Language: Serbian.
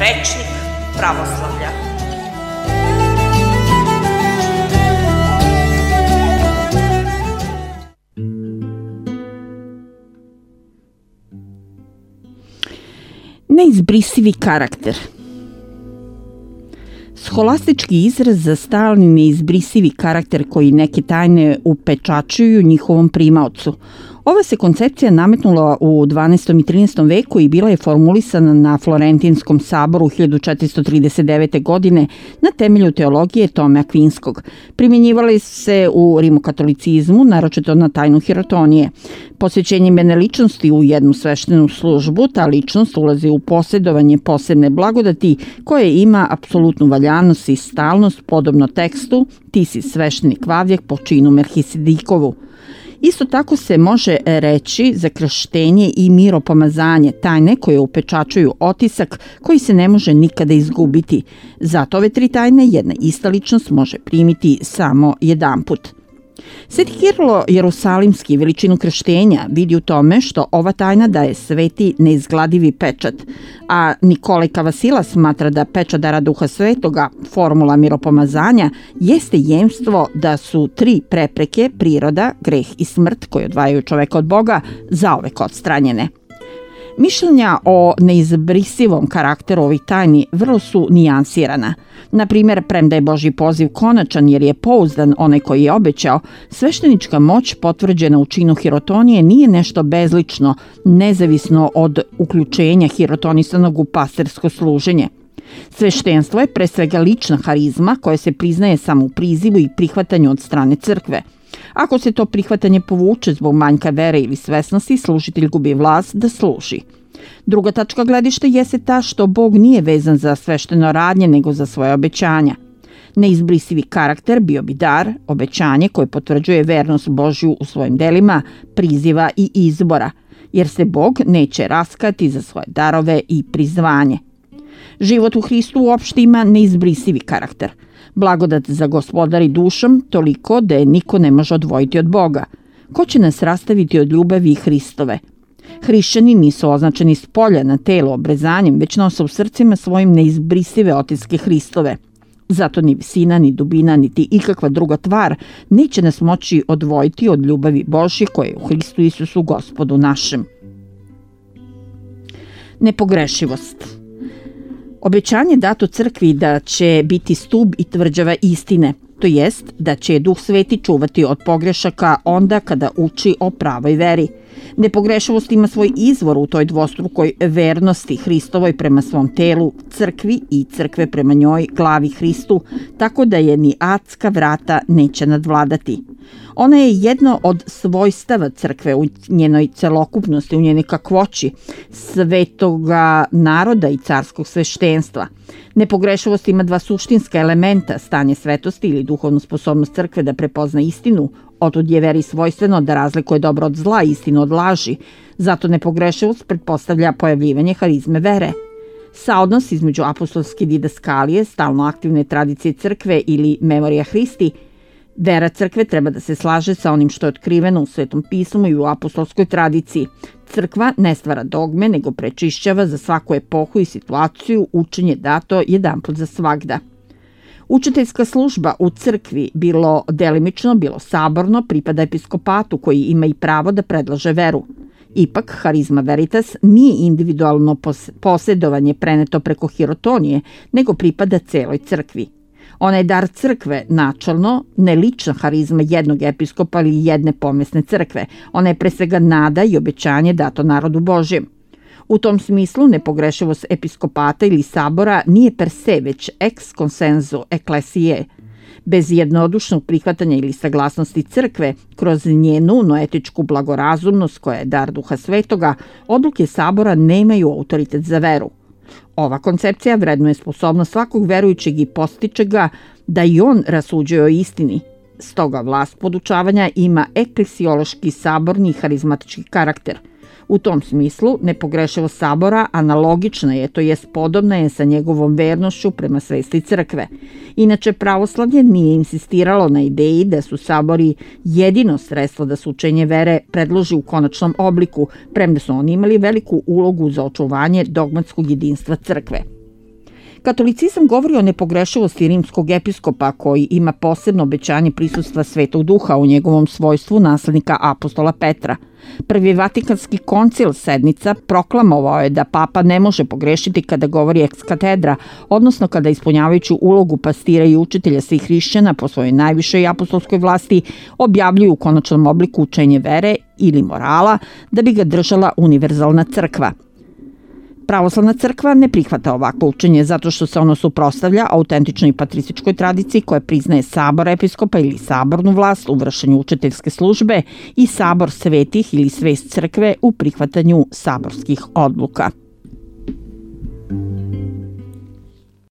rečnik pravoslavlja. Neizbrisivi karakter. Scholastički izraz za stalni neizbrisivi karakter koji neke tajne upečačuju njihovom primaocu. Ova se koncepcija nametnula u 12. i 13. veku i bila je formulisana na Florentinskom saboru 1439. godine na temelju teologije Tome Akvinskog. Primjenjivali se u rimokatolicizmu, naročito na tajnu hirotonije. Posvećenjem jedne ličnosti u jednu sveštenu službu, ta ličnost ulazi u posjedovanje posebne blagodati koje ima apsolutnu valjanost i stalnost, podobno tekstu "Ti si sveštenik Vavjak po činu Melhisedikovu". Isto tako se može reći za krštenje i miropomazanje, tajne koje upečačuju otisak koji se ne može nikada izgubiti. Zato ove tri tajne jedna ista ličnost može primiti samo jedanput. Sveti Kirilo Jerusalimski veličinu krštenja vidi u tome što ova tajna daje sveti neizgladivi pečat, a Nikolaj Kavasila smatra da pečat dara Duha Svetoga, formula miropomazanja, jeste jemstvo da su tri prepreke, priroda, greh i smrt, koji odvajaju čoveka od Boga, zauvek odstranjene. Mišljenja o neizbrisivom karakteru ovih tajni vrlo su nijansirana. Na primjer, premda je Božji poziv konačan jer je pouzdan onaj koji je obećao, sveštenička moć potvrđena u činu hirotonije nije nešto bezlično, nezavisno od uključenja hirotonisanog u pastirsko služenje. Sveštenstvo je pre svega lična harizma koja se priznaje samo u prizivu i prihvatanju od strane crkve. Ako se to prihvatanje povuče zbog manjka vere ili svesnosti, služitelj gubi vlast da služi. Druga tačka gledišta jeste ta što Bog nije vezan za svešteno radnje nego za svoje obećanja. Neizbrisivi karakter bio bi dar, obećanje koje potvrđuje vernost Božju u svojim delima, priziva i izbora, jer se Bog neće raskati za svoje darove i prizvanje. Život u Hristu uopšte ima neizbrisivi karakter. Blagodat za gospodari dušom toliko da je niko ne može odvojiti od Boga. Ko će nas rastaviti od ljubavi Hristove? Hrišćani nisu označeni s polja na telo obrezanjem, već nose u srcima svojim neizbrisive otiske Hristove. Zato ni visina, ni dubina, niti ikakva druga tvar neće nas moći odvojiti od ljubavi Božje koje je u Hristu Isusu Gospodu našem. Nepogrešivost. Obećanje dato crkvi da će biti stub i tvrđava istine, to jest da će Duh Sveti čuvati od pogrešaka onda kada uči o pravoj veri. Nepogrešivost ima svoj izvor u toj dvostrukoj vernosti Hristovoj prema svom telu, crkvi i crkve prema njoj, glavi Hristu, tako da je ni adska vrata neće nadvladati. Ona je jedno od svojstava crkve u njenoj celokupnosti, u njenoj kakvoći, svetoga naroda i carskog sveštenstva. Nepogrešivost ima dva suštinska elementa, stanje svetosti ili duhovnu sposobnost crkve da prepozna istinu, otud je veri svojstveno da razlikuje dobro od zla, istinu od laži. Zato nepogrešivost pretpostavlja pojavljivanje harizme vere. Saodnos između apostolske didaskalije, stalno aktivne tradicije crkve ili memorija Hristi, vera crkve treba da se slaže sa onim što je otkriveno u Svetom pismu i u apostolskoj tradiciji. Crkva ne stvara dogme, nego prečišćava za svaku epohu i situaciju učenje dato jedanput za svagda. Učiteljska služba u crkvi, bilo delimično, bilo saborno, pripada episkopatu koji ima i pravo da predlaže veru. Ipak, harizma veritas nije individualno posjedovanje preneto preko hirotonije, nego pripada celoj crkvi. Ona je dar crkve načalno, ne lična harizma jednog episkopa ili jedne pomesne crkve. Ona je pre svega nada i obećanje dato narodu Božjem. U tom smislu nepogrešivost episkopata ili sabora nije per se, već ex consensu ecclesiae. Bez jednodušnog prihvatanja ili saglasnosti crkve, kroz njenu noetičku blagorazumnost koja je dar Duha Svetoga, odluke sabora nemaju autoritet za veru. Ova koncepcija vrednuje sposobnost svakog verujućeg i postiče ga da i on rasuđuje o istini. Stoga vlast podučavanja ima eklesiološki, saborni i harizmatički karakter. U tom smislu, nepogrešivost sabora analogična je, to jest podobna je sa njegovom vernošću prema svesti crkve. Inače, pravoslavlje nije insistiralo na ideji da su sabori jedino sredstvo da se učenje vere predloži u konačnom obliku, premda su oni imali veliku ulogu za očuvanje dogmatskog jedinstva crkve. Katolicizam govori o nepogrešivosti rimskog episkopa koji ima posebno obećanje prisustva Svetog Duha u njegovom svojstvu naslednika apostola Petra. Prvi Vatikanski koncil sednica proklamovao je da papa ne može pogrešiti kada govori ex katedra, odnosno kada ispunjavajući ulogu pastira i učitelja svih hrišćana po svojoj najvišoj apostolskoj vlasti objavljuju u konačnom obliku učenje vere ili morala da bi ga držala univerzalna crkva. Pravoslavna crkva ne prihvata ovako učenje zato što se ono suprotstavlja autentičnoj patrističkoj tradiciji koja priznaje sabor episkopa ili sabornu vlast u vršenju učiteljske službe i sabor svetih ili svest crkve u prihvatanju saborskih odluka.